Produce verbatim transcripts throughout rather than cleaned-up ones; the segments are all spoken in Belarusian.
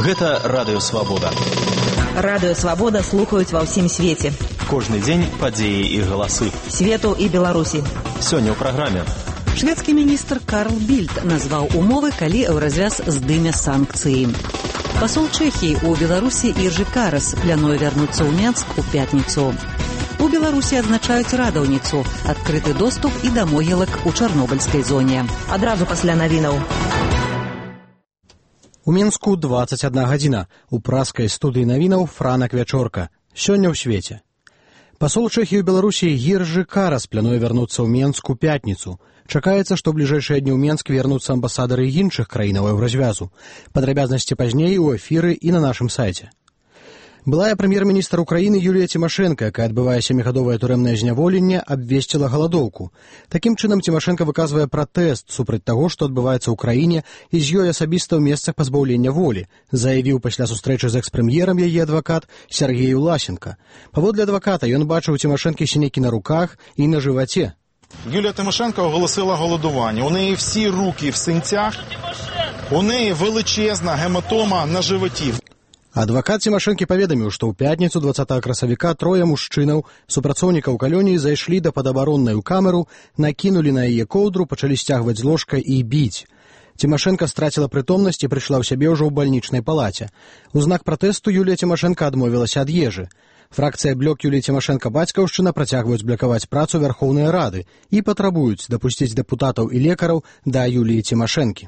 Гэта Радыё Свабода. Радыё Свабода слухаюць ва ўсім свеце. Кожны дзень падзеі і галасы. Свету і Беларусі. Сёння ў праграме. Шведскі міністр Карл Більд назваў умовы, калі Еўразвяз здыме санкцыі. Пасол Чэхіі ў Беларусі Іржы Карас плануе вярнуцца ў Менск у пятніцу. У Беларусі адзначаюць радаўніцу, адкрыты доступ і да могілак у чарнобыльскай зоне. Адразу пасля навінаў. У Мінску дваццаць адна гадзіна. У праскай студыі навінаў Франак Вячорка. Сёння ў свеце. Пасол Чэхіі ў Беларусі Іржы Карас плануе вярнуцца ў Менск у пятніцу. Чакаецца, што ў бліжэйшыя дні ў Менск вернуцца амбасадары іншых краінаў Еўразвязу. Падрабязнасці пазней у эфіры і на нашым сайце. Былая прэм'ер-міністр Украіны Юлія Цімашэнка, якая адбывае сямігадовае турэмнае зняволенне, абвесціла галадоўку. Такім чынам Цімашэнка выказвае пратэст супраць таго, што адбываецца ў краіне, і з ёй асабіста ў месцах пазбаўлення волі, заявіў пасля сустрэчы з экс-прэм'ерам яе адвакат Сергей Власенко. Паводле адваката, ён бачыў у Цімашэнкі сінякі на руках і на жываце. Юлія Тимошенко оголосила голодування. У неї всі руки в синцях, у неї величезна гематома на животі. Адвакат Цімашэнкі паведаміў, што ў пятніцу дваццатага красавіка трое мужчынаў, супрацоўнікаў калоніі, зайшлі да падабароннай у камеру, накінулі на яе коўдру, пачалі сцягваць з ложка і біць. Цімашэнка страціла прытомнасць і прыйшла ў сябе ўжо ў бальнічнай палаце. У знак пратэсту Юлія Цімашэнка адмовілася ад ежы. Фракцыя блок Юліі Цімашэнка бацькаўшчына працягваюць блакаваць працу Вярхоўнай Рады і патрабуюць дапусціць дэпутатаў і лекараў да Юліі Цімашэнкі.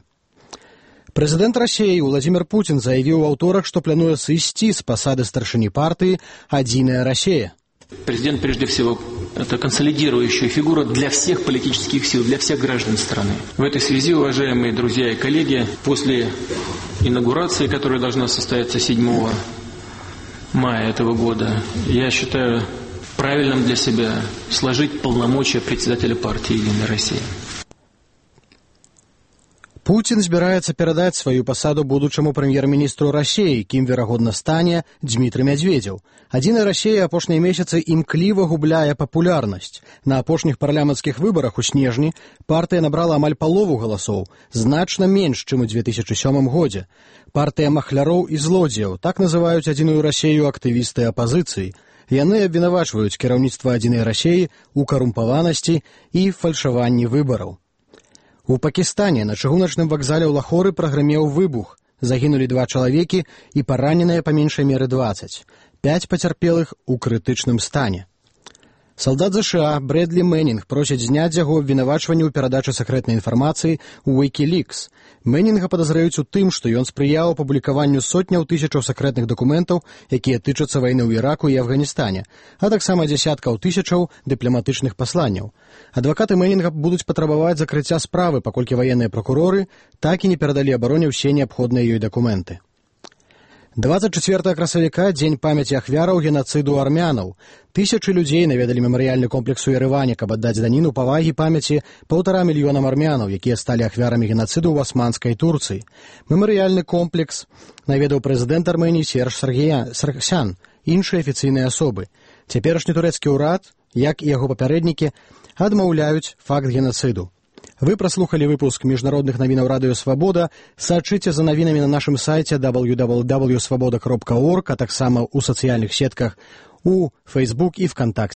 Прэзідэнт Расіі Владзімір Путін заявіў у аўторак, што плануе сысці з пасады старшыні партыі «Адзіная Россия». Президент, прежде всего, это консолидирующая фигура для всех политических сил, для всех граждан страны. В этой связи, уважаемые друзья и коллеги, после инаугурации, которая должна состояться седьмого мая этого года, я считаю правильным для себя сложить полномочия председателя партии «Единая Россия». Путін збіраецца перадаць сваю пасаду будучаму прэм'ер-міністру Расіі, кім, верагодна, стане Дзмітрый Мядзведзеў. «Адзіная Россия» апошнія месяцы імкліва губляе папулярнасць. На апошніх парламенцкіх выбарах у снежні партыя набрала амаль палову галасоў, значна менш, чым у дзве тысячы сёмым годзе. Партыя махляроў і злодзеяў, так называюць «Адзіную Россию» актывісты апазіцыі. Яны абвінавачваюць кіраўніцтва «Адзінай России» у карумпаванасці і фальшаванні выбараў. У Пакістане на чыгуначным вакзале ў Лахоры прагрымеў выбух. Загінулі два чалавекі і параненыя па меншай меры дваццаць. Пяць пацярпелых у крытычным стане. Салдат ЗША Брэдлі Мэнінг просіць зняць яго абвінавачванне ў перадачы сакрэтнай інфармацыі ў Wikileaks. Мэнінга падазраюць у тым, што ён спрыяў публікаванню сотняў тысячаў сакрэтных дакументаў, якія тычацца вайны ў Іраку і Афганістане, а таксама дзясяткаў тысячаў дыпламатычных пасланняў. Адвакаты Мэнінга будуць патрабаваць закрыцця справы, паколькі ваенныя пракуроры так і не перадалі абароне ўсе неабходныя ёй дакументы. дваццаць чацвёртага красавіка – дзень памяці ахвяраў генацыду армянаў. Тысячы людзей наведалі мемарыяльны комплекс у Ерэване, каб аддаць даніну павагі памяці паўтара мільёнам армянаў, якія сталі ахвярамі генацыду ў асманскай Турцыі. Мемарыяльны комплекс наведаў прэзідэнт Арменіі Серж Саргсян, іншыя афіцыйныя асобы. Цяперашні турэцкі ўрад, як і яго папярэднікі, адмаўляюць факт генацыду. Вы праслухалі выпуск міжнародных навінаў Радыё Свабода. Сачыце за навінамі на нашым сайце дабл ю дабл ю дабл ю крапка свабода крапка орг, а таксама ў сацыяльных сетках у Facebook і ВКонтакте.